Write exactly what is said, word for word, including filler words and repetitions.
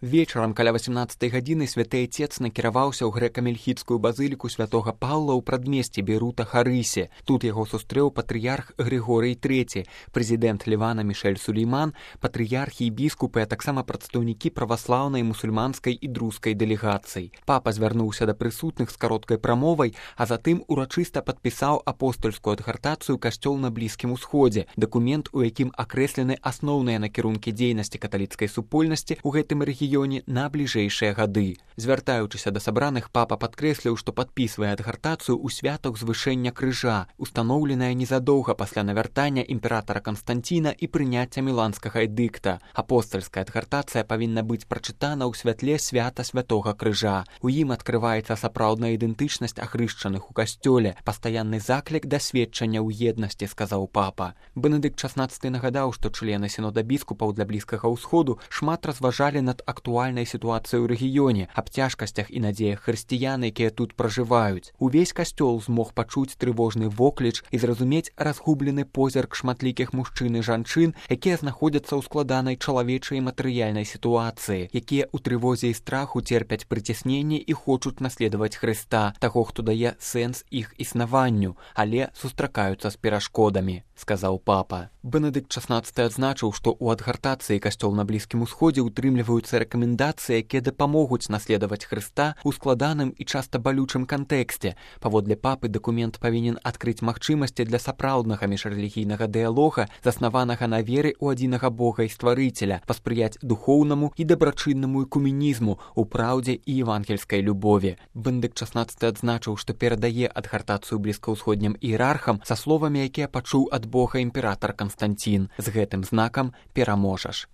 Вечарам каля васямнаццатай гадзіны святы айцец накіраваўся ў грэка-мельхідскую базыліку святога Паўла ў прадмесці Бейрута Харысе. Тут яго сустрэў патрыярх Григорый трэці, прэзідэнт Лівана Мішэль Сулейман, патрыярхі і біскупы, а таксама прадстаўнікі праваслаўнай, мусульманскай і друзкай дэлегацый. Папа звярнуўся да прысутных з кароткай прамовай, а затым урачыста падпісаў апостальскую адгартацыю «Касцёл на Блізкім Усходзе», дакумент, у якім акрэслены асноўныя накірункі дзейнасці каталіцкай супольнасці ў гэтым рэгіёне на бліжэйшыя гады. Звяртаючыся да сабраных, папа падкрэсліў, што падпісвае адгартацыю ў святах звышэння крыжа, устаноўленая незадоўга пасля навяртання імператара Канстанціна і прыняцця міланскага эдыкта. Апостальская адгартацыя павінна быць прачытана ў святле свята святога крыжа. У ім адкрываецца сапраўдная ідэнтычнасць ахрышчаных у касцёле, пастаянны заклік да сведчання ў еднасці, сказаў папа. Бенедыкт шаснаццаты нагадаў, што члены сінода біскупаў для Блізкага ўсходу шмат разважалі над актуальнай сітуацыяй у рэгіёне, аб цяжкасцях і надзеях хрысціян, якія тут пражываюць. Увесь касцёл змог пачуць трывожны вокліч і зразумець разгублены позірк шматлікіх мужчын і жанчын, якія знаходзяцца ў складанай чалавечай і матэрыяльнай сітуацыі, якія ў трывозе і страху церпяць прыцясненне і хочуць наследаваць Хрыста, таго, хто дае сэнс іх існаванню, але сустракаюцца з перашкодамі, сказаў папа. Бенедыкт шаснаццаты адзначыў, што ў адгартацыі «Касцёл на Блізкім Усходзе» утрымліваюцца рэкамендацыі, якія дапамогуць наследаваць Хрыста ў складаным і часта балючым кантэксце. Паводле папы, дакумент павінен адкрыць магчымасці для сапраўднага міжрэлігійнага дыялога, заснаванага на веры ў адзінага Бога і стварыцеля, паспрыяць духоўнаму і дабрачыннаму экумінізму ў праўдзе і евангельскай любові. Бенедыкт шаснаццаты адзначыў, што перадае адгартацыю блізкаўсходнім іерархам са словамі, якія пачуў ад Бога імператар Канстанцін: «З гэтым знакам пераможаш».